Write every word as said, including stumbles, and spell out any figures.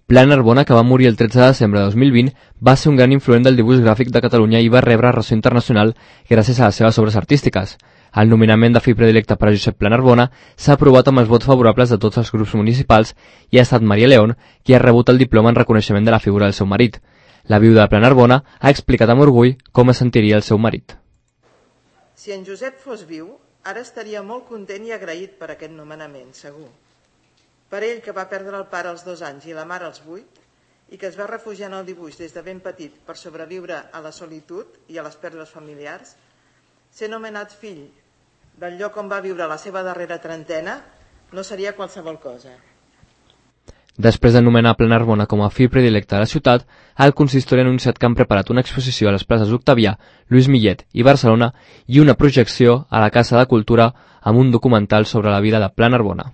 Pla Narbona, que va morir el tretze de desembre de dos mil vint, va ser un gran influent del dibuix gràfic de Catalunya i va rebre ressò internacional gràcies a les seves obres artístiques. El nomenament de fill predilecte per a Josep Pla Narbona s'ha aprovat amb els vots favorables de tots els grups municipals i ha estat Maria León qui ha rebut el diploma en reconeixement de la figura del seu marit. La viuda de Pla Narbona ha explicat amb orgull com es sentiria el seu marit. Si en Josep fos viu, ara estaria molt content i agraït per aquest nomenament, segur. Per ell, que va perdre el pare als dos anys i la mare als vuit, i que es va refugiar en el dibuix des de ben petit per sobreviure a la solitud i a les pèrdues familiars, ser nomenat fill del lloc on va viure la seva darrera trentena no seria qualsevol cosa. Després de nomenar Pla Narbona com a fill predilecte de la ciutat, el consistori ha anunciat que han preparat una exposició a les places Octavià, Lluís Millet i Barcelona i una projecció a la Casa de Cultura amb un documental sobre la vida de Pla Narbona.